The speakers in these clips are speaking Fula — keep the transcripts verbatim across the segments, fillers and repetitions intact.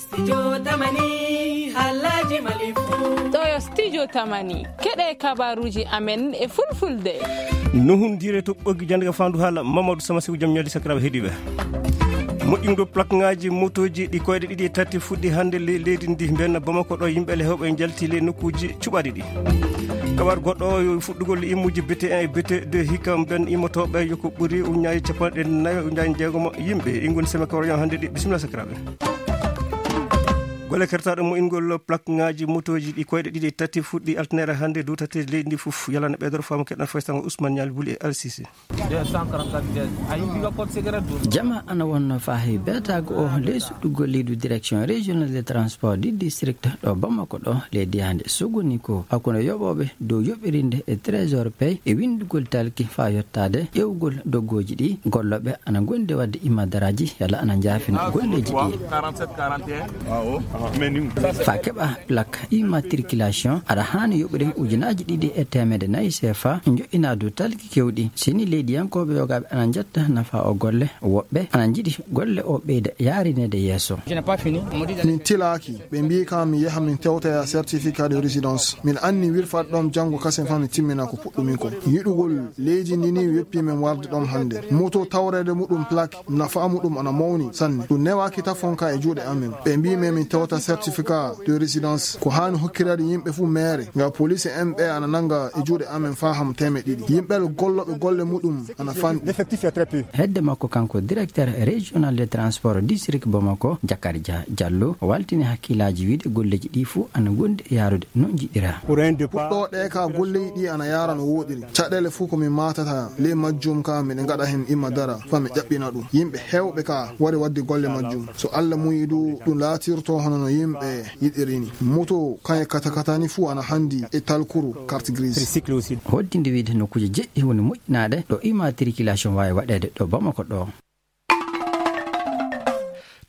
Studio Tamani, haalaaji Mali fuu. Ɗo yo Studio Tamani, keɗe kabaruuji amen e fulfulde. Nuhundire to ɓoggi jannde ka faandu haala Mamadou Sama Seku, jam ñalli sakiraaɓe heɗiiɓe. Moƴƴingo plakŋaaji motooji ɗi koyɗe ɗiɗi e tati fuɗɗi hannde ley leydi ndi. Mbenna Bamako ɗo, yimɓe le heewɓe njalti ley nokkuuji cuɓaaɗi ɗi. Kabar goɗɗo o yo fuɗɗugol immuuji B T un e B T deux hikka mben immotooɓe yo ko ɓuri uñaaji capanɗe nayo uñaaji jeegomo yimɓe. Ɗi ngoni semaine kawra hannde ɗi. Bisimilla sakiraaɓe. Golle kertaaɗo moƴƴingol plakŋaaji motooji ɗi koyɗe ɗiɗi e tati fuɗɗi altine hannde dow tati leydi ndi fof. Yalana ɓeydoro faamu keɗan faysango Ousmane Ñaali Buli e Alsisi. Jama ana wonno faahi beetaago o ley suɗɗugol leydu direction régional de transport du district ɗo Bamako ɗo leydi hannde suguni ko hakkunde yoɓooɓe dow yoɓirinde e trésor pay e winndugol talki faa yottaade ƴewgol doggooji ɗi. Gollooɓe ana ngondi waɗde imadaraaji yalla ana njaafina golleeji ɗi. Faa keɓa plaque immatriculation, aɗa haani yoɓude ujunaaji ɗiɗi e teemedde nayi C F A, njoƴƴinaa dow talki keewɗi. Sini leydiyankooɓe yogaaɓe ana njetta nafaa o golle, woɓɓe ana njiɗi golle o ɓeyda yaarineede yeeso. Min tilaaki, ɓe mbii kam mi yaha min tewtoya certificat de résidence. Min anni wirfat ɗoon janngo kasen faa mi timmina ko puɗɗumi ko. Yiɗugol leydi ndi ni weppi min warde ɗoon hannde. Moto tawreede muɗum plaque, nafaa muɗum ana mawni sanne. Ɗum newaaki tafon ka e juuɗe amen. Ɓe mbii men min tewta certificat de résidence. Ko haani hokkiraade yimɓe fuu meere. Nga police en ɓe ana nanga e juuɗe amen faa ham teemeɗɗe ɗiɗi. Yimɓe gollooɓe golle muɗum ana fanɗi. Hedde makko kanko directeur régional de transport district Bamako, Jakari Dia Diallo, o waltini hakkillaaji wiide golleeji ɗi fuu ana ngondi e yaarude no njiɗiraa. Puɗɗooɗe ka golleeji ɗi ana yaara no wooɗiri. Caɗeele fuu ko min maatata ley majjum ka miɗen ngaɗa heen imadara faa mi ƴaɓɓina ɗum. Yimɓe heewɓe ka wari waɗde golle majjum. So Alla muyi du, ɗum laatirto hono no yimɓe yiɗiri ni. Moto kañe katakata ni fuu ana hanndi e talkuru carte grise. Hoddinde wiide nokkuuje jeɗɗi woni moƴƴinaaɗe ɗo immatriculation waawi waɗeede ɗo Bamako ɗo.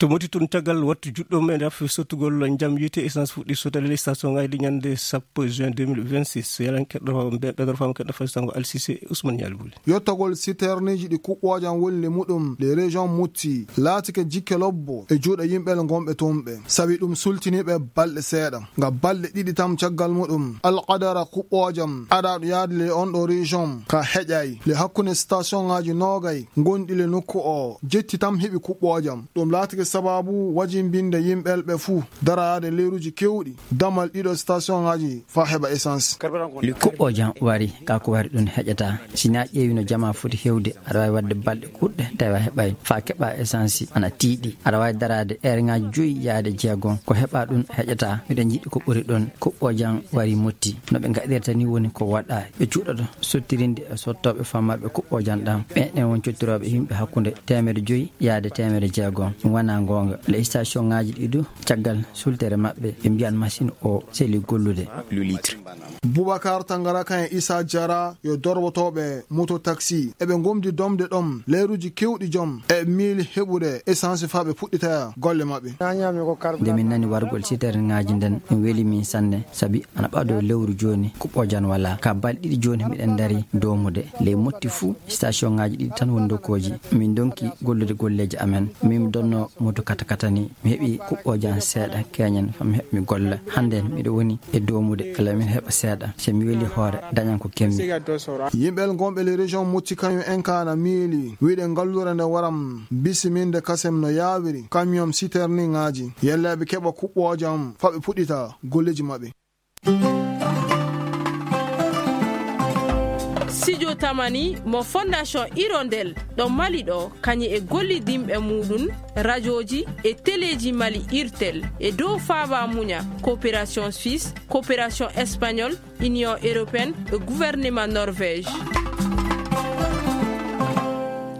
To Moti tun, caggal wattu juɗɗo men raf sottugol njam yiite, essence fuɗɗi sottade ley station ngaji ɗi ñande sappo juin deux mille vingt-six. Yalan keɗɗo ɓe-, ɓeɗor fam keɗɗo fasitango Alsise Ousmane Ñaali Buli. Yottagol citerneji ɗi kuɓɓoojam woni le muɗum le région Mutti laatike jikke lobbo e juuɗe yimɓe le gonɓe toon ɓe. Sabi ɗum sultiniɓe balɗe seeɗa. Nga balɗe ɗiɗi tam caggal muɗum, alqadara kuɓɓoojam aɗaɗo yaade le on ɗo région ka heƴay le hakkunde station ngaji noogay gonɗi le nokku o jetti tam heɓi kuɓɓoojam. Ɗum laatike sababu wajimbinde yimɓe ɓe fuu daraade leeruji kewɗi damal ɗiɗo station ngaji faa heɓa essence. Kuɓɓoojam wari, ka ko wari ɗum heƴata. Si na ƴeewi no jama foti hewde, aɗa waawi waɗde balɗe kuɗɗe tawi a heɓay faa keɓa essence ana tiiɗi. Aɗa waawi daraade heure ngaji joyi yaade jeegom, ko heɓa ɗum heƴata. Miɗen njiɗi ko ɓuri ɗum. Kuɓɓoojam wari Mutti. No ɓe ngaɗirta ni woni ko waɗa. Ɓe cuuɗoto sottirinde e sottooɓe fammarɓe kuɓɓoojam ɗam. Ɓen en won cottirooɓe yimɓe hakkunde teemedde joyi yaade teemedde jeegom. Ɗum wona goonga. Le station ngaji ɗi du, caggal sultere maɓɓe, ɓe mbiyan machine o seli gollude. Boubacar Tangara kan e Issa Diarra yo dorwotooɓe moto taxi. Eɓe gomdi domde ɗom leeruji kewɗi jom e miili heɓude essence faa ɓe puɗɗita golle maɓɓe. Nde min nani wargol siterngaaji nden, ɗum weli min sanne, sabi ana ɓadoo lewru jooni, kuɓɓoojam walaa. Ka balɗe ɗiɗi jooni miɗen dari doomude. Ley Motti fuu, station ngaaji ɗiɗi tan woni ndokkooji. Min ndonki gollude golleeji amen. Min mi donnoo moto katakata ni. Mi heɓi kuɓɓoojam seeɗa, keñen, faa mi heɓa mi golla. Hannden miɗo woni e doomude, kala min heɓa seeɗa. Se mi weli hoore, dañan ko kemmi. Yimɓe gonɓe le région Motti kañum en ka na miili, wiide ngallure nde waram bisiminde kasem no yaawiri, camion citerne ngaaji. Yalla ɓe keɓa kuɓɓoojam, faa ɓe puɗɗita golleeji maɓɓe. Studio Tamani mo Fondation Hirondelle ɗo Mali ɗo, kañum e gollidinɓe muɗum, rajooji e teleeji Mali, Irtel, e dow faaba muña, coopération suisse, coopération espagnole, Union européenne e gouvernement Norvège.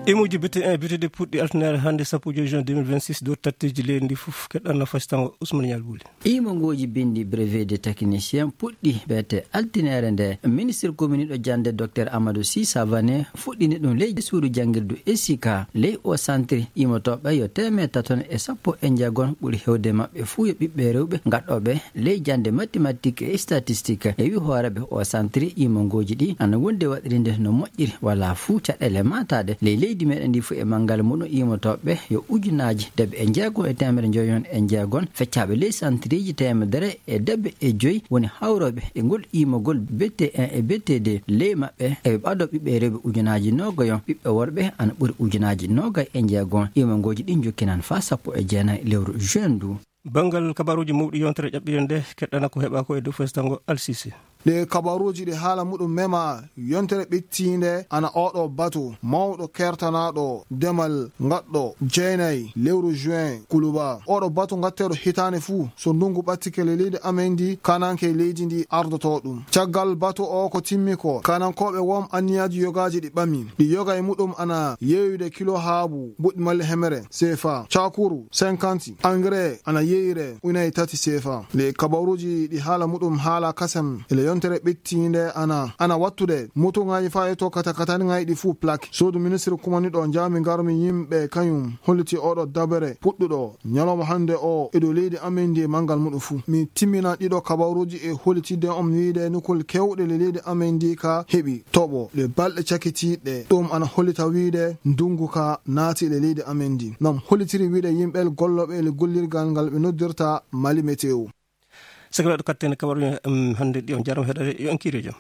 Imuuji B T un, B T deux puɗɗi altine hannde sappo e joy juin deux mille vingt-six, dow tatteeji leydi ndi fof. Keɗɗan no fasitango Ousmane Ñaali Buli. Imongooji binndi brevet de technicien puɗɗi beete altinere nde. Ministre gominiiɗo jannde Docteur Amadou Sy Savané fuɗɗini ɗum ley suudu janngirdu Esika. Ley o santiri imotooɓe yo teemeɗɗe taton e sappo e jeegom, ɓuri heewde maɓɓe fuu yo ɓiɓɓe rewɓe gaɗooɓe ley jannde mathématique e statistique. E wi hooreeɓe o santiri imongooji ɗi ana wondi waɗirinde no moƴƴiri, wala fuu caɗeele maataade ley leydi Ɗi meɗen ndi fof e manngal muɗum iimotooɓe yo ujunaaji debbe e jeego e teemedere njoyon e jeegon, feccaaɓe ley santiriiji teemedere e debbe e joyi woni hawrooɓe e ngol iimogol B T un e B T deux. Ley maɓɓe eɓe ɓadoo ɓiɓɓe rewɓe ujunaaji noogayon, ɓiɓɓe worɓe ana ɓuri ujunaaji noogay e jeegon. Iimongooji ɗin jokkinan faa sappo e jeenay lewru juin ndu. Banngal kabaruuji mawɗi yontere ƴaɓɓiren nde, keɗɗana ko heɓa ko e dow fesngo Alsisi. Ɗe kabaruuji ɗi haala muɗum mema yontere ɓittiinde ana oɗo batu mawɗo kertanaaɗo demal ngaɗɗo jeenay lewru juin kuluba. Oɗo batu ngatteeɗo hitaande fuu so ndungu ɓattike le leydi amen ndi, kananke leydi ndi ardoto ɗum. Caggal batu o ko timmi ko, kanankooɓe wom anniyaaji yogaaji ɗi ɓami. Ɗi yoga e muɗum ana yeeyude kilo haabu, buɗɗi malli hemere, seefa, cakuru, cinquante, engrais, ana yeeyire, unaye tati seefa. Le kabaruuji ɗi haala muɗum haala kasam, ele yontere ɓittiinde ana, ana wattude, motoŋaaji faa yetto katakataŋaaji ɗi fuu plak. Suudu ministre kumaniɗo jaami ngarmi yimɓe kañum, holliti oɗo dabere puɗɗuɗo ñalawma hannde o e dow leydi amen ndi e manngal muɗum fuu. Mi timmina ɗiɗo kabaruuji e hollitidde on wiide nokkuul kewɗe le leydi amen ndi ka heɓi toɓo ɗe balɗe cakitiiɗe. Ɗum ana hollita wiide ndungu ka naati le leydi amen ndi. Nam hollitiri wiide yimɓe gollooɓe le gollirgal ngal ɓe noddirta Mali Météo. Saka waɗo katten kabaruuji, em, hannde ɗi on jarama heɗade yo en kiire jam.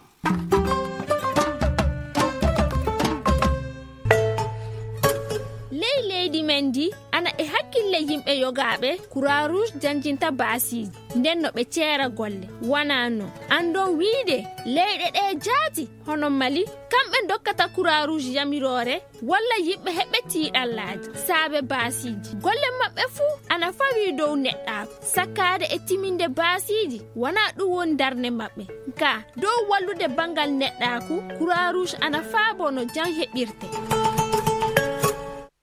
Ley leydi men ndi, ana e hakkille yimɓe yogaaɓe Croix Rouge janjinta baasiiji, nden no ɓe ceera golle. Wanaa non, anndon wiide leyɗe ɗe jaati, hono Mali, kamɓe ndokkata Croix Rouge yamiroore, walla yimɓe heɓɓe tiiɗallaaji, saabe baasiiji. Golle maɓɓe fuu ana fawii dow neɗɗaaku, sakkaade e timinde baasiiji, wanaa ɗum woni darnde maɓɓe. Kaa, dow wallude banngal neɗɗaaku, Croix Rouge ana faaboo no jam heɓirte.